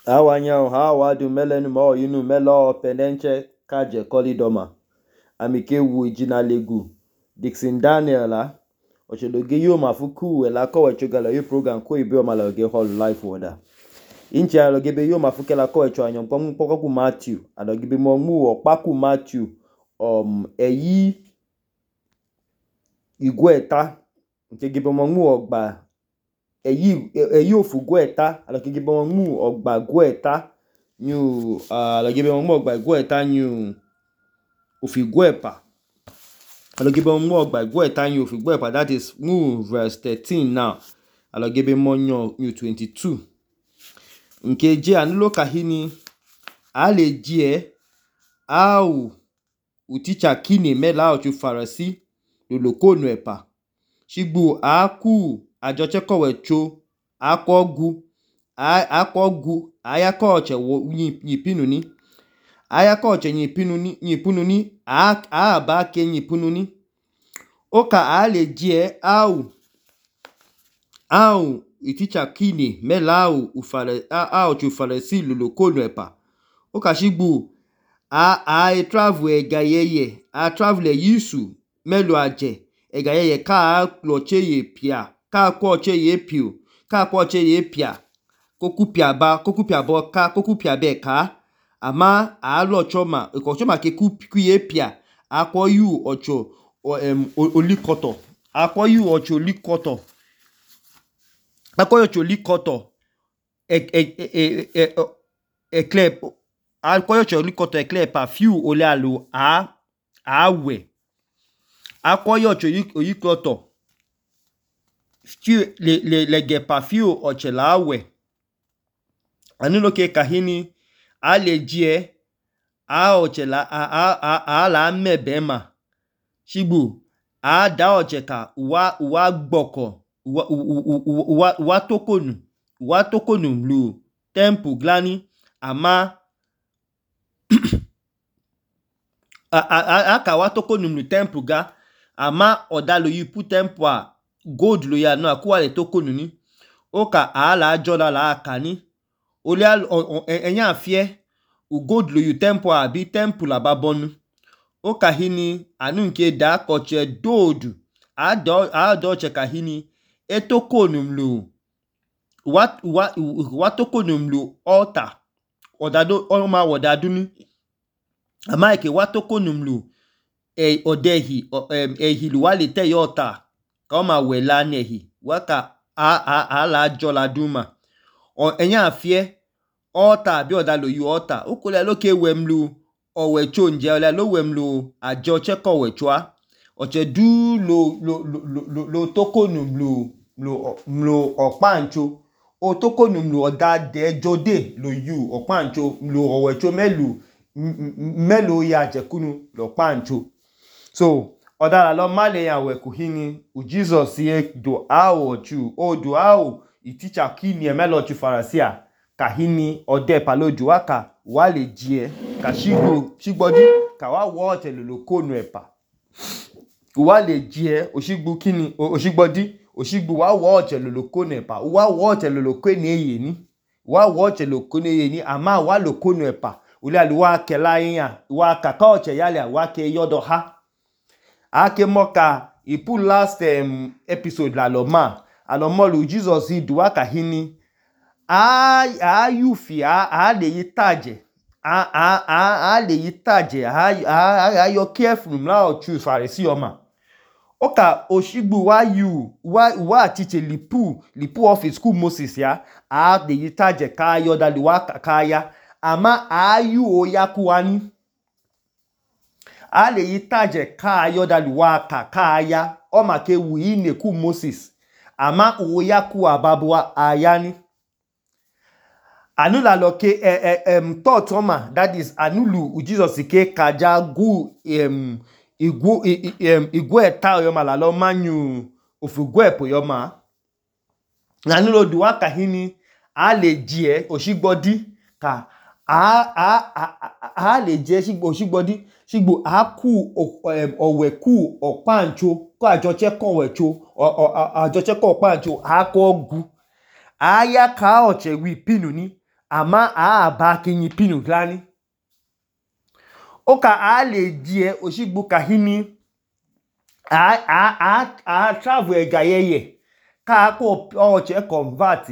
Awanya hawa du melenu mo yinu melo penenche kaje kolidoma. Amike wu ijina legu Dixon Daniel la ochedoge yo mafuku la ko wechogala yo program ko ibe o maloge hall life woda. Inche aloge be yo mafuke la ko wecho anyom poku Matthew aloge be mo mu opaku Matthew eyi igweta nke gibe mo mu ogba eyi ofugweta aloge gibe mo mu ogba gweta new aloge be mo mu ogba gweta new ofigwepa aloge be mo mu ogba gweta new ofigwepa, that is mu verse 13 now aloge be mo new 22 nke je anulo kahini ale je au uticha kini mela ochu farasi lolokonu epa shigbu aku ajoche kowecho akogu ayako oche nyipinuni ayako oche nyipinuni aba ke nyipinuni oka ale je au iticha kini mela au chu farasi lolokonu epa oka shigbu a travel egayeye a travel yisu melu aje egayeye ka kloche ye pia ka kwoche ye pio ka kwoche ye pia kokupia bo ka kokupia be ka ama alo choma ikochoma ke kuye pia akwoyu ocho olikoto akwoyu ocho olikoto akwoyu ocho olikoto eklep akwoyu ocho olikoto eklep perfume ole alu awe akwoyu ocho olikoto lege perfume oche la awe anuloke kahini aleje oche la mebema shigbu ada oche ka uwa gboko uwa tokonu mlu temple glani ama aka wa tokonu mlu temple ga ama odalo you put temple a gold lo ya no akuwa le tokonu ni oka ala ajola la akani ole enya afie u gold lo you temple a bi temple ababonu oka hini anu nke da koche dodu ado che kahini etokonu mlu wa tokonu mlu altar odado oma wodaduni ama eke wa tokonu mlu odehi ehilu wale te yota ka oma wela nehi waka ala ajola duma enya afie altar bi odalo you altar ukole loke wemlu owecho nje ole lo wemlu ajo cheko wechwa oche du lo tokonu mlu opancho o tokonu mlu odade jode lo you opancho mlu owecho melu ya jekunu lo pancho so odala lo male ya we kuhini u Jesus ye do ochu o do iticha kini emelo ochu farasia kahini ode paloju waka wale jie ka shigbodi ka wa wote lolokonu epa wale jie oshigbu kini oshigbodi oshigbu wa wote lolokonu epa wa wote lolokonu eyeni wa wote lolokonu eyeni ama wa lokonu epa ule aluwa kela yin wa kaka oche yale wa ke yodo ha ake moka ipu last episode la lo ma alomolu Jesus idu waka hini ayufi le yitaje le yitaje ayo careful mla ochu farisi oma oka oshigbu wa teach lipu office school Moses ya le yitaje ka ayo dalu waka kaya ama ayu oyakuwani ale yitaje ka ayo dalu waka kaya oma ke wi neku Moses ama oyaku ababwa ayani anula loke thought oma, that is anulu Jesus ke kaja gu igwe ta yoma la lo manyu ofugwepo yoma anulo duwa kahini ale jie oshigbodi ka le je oshigbodi shigbo aku oweku opancho ko ajoche ko wecho ajoche ko opancho akogu aya ka oche wi pinuni ama aba kinyi pinu glani oka ale die oshigbu kahini a travel egayeye ka ko oche convert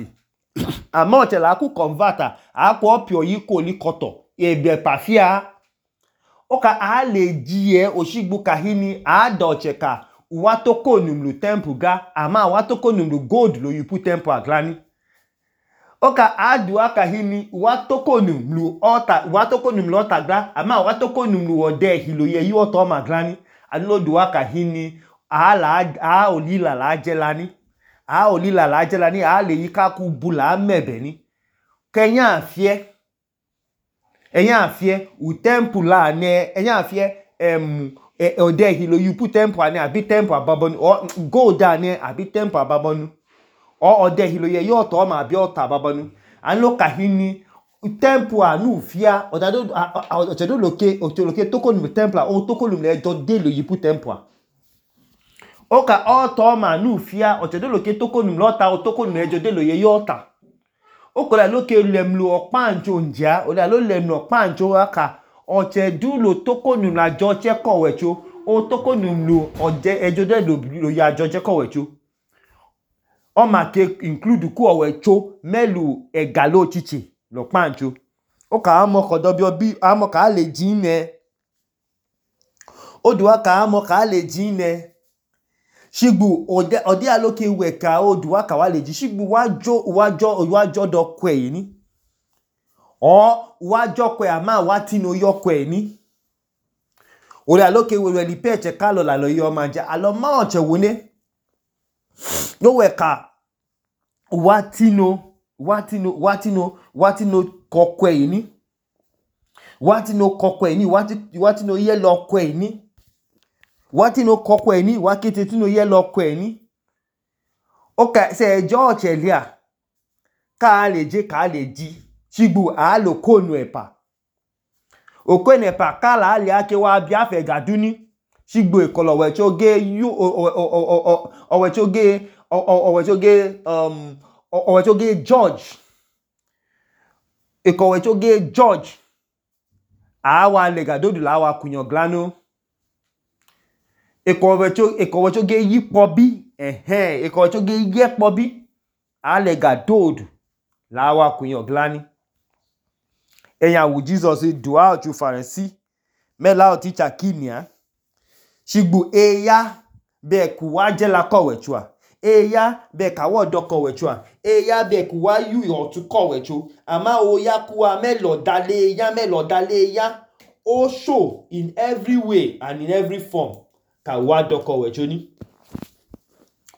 ama oche la ku convert a ko opio yi ko likoto ebe pafia oka ale die oshigbu kahini a doche ka watoko numlu temple ga ama watoko numlu gold lo yupu temple aglani oka adu akahini watoko numlu altar gra ama watoko numlu ode hilo ye yi oto maglani anulo akahini a olila la jelani a le yi ka ku bula mebeni kenya afie u temple la ne enya afie ode hilo yupu temple ane abi temple ababonu o gold ane abi temple ababonu o ode hilo ye yi oto ma abi oto ababonu anlo kahini temple anu fia ochedo loke toko num temple o toko num le do de lo yipu temple oka oto ma nu fia ochedo loke toko num lota o toko num le do de lo ye yota okola loke lemlu opanjo njia ola lo lemlu opanjo aka ochedu lo toko num la joche kowecho o toko num lu oje ejo de lo ya joche kowecho o ma ke include ku owecho melu egalo chichi lo pancho oka amo kodo bi amo ka le jine oduwa ka amo ka le jine shigbu odi aloke weka oduwa ka wa le ji shigbu wajo do kwe ni o wajo kwe ama watino yo kwe ni ori aloke we li peche kalo la lo yo manja alo ma oche wone no weka watino kokwe ni watino kokwe ni watino yelo kwe ni watino kokwe ni wakete tino yelo kwe ni oka se George elia ka le ji shigbu a lo konu epa okwen epa kala ali ake wa bia fe gaduni shigbu ekolo wecho ge yu owecho ge George ekowecho ge George awa legadodu la wa kunyo glano ekowecho ge yipobi ekowecho ge yepobi alegadodu la wa kunyo glani eya wu Jesus dua ochu Pharisee mela oticha kinia shigbu eya be ku wa je la kowechua eya be ka wo do kowechua eya be ku wa yu otu kowechu ama oya ku wa melo dale ya o show in every way and in every form ka wa do kowechu ni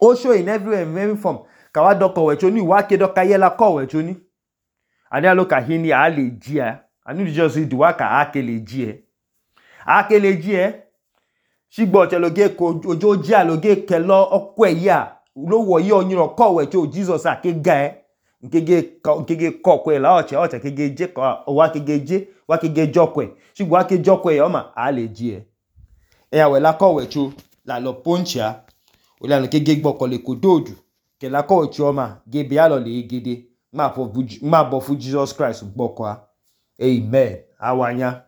o show in every form ka wa do kowechu ni wa ke do ka yela kowechu ni ani aloka hini a le jia anu Jesus duwa ka akele jie shigbo cheloge ko ojo ji aloge kelo okwe ya lo wo yi oniro kowe cho Jesus akega nkege kokwe la oche kege je ko wa kege jokwe shigbo ake jokwe yo ma a le jie eya we la kowe cho la lo poncha o la kege gboko le kododu ke la kowe cho ma ge bi alo le gede ma bo fu Jesus Christ gboko amen awanya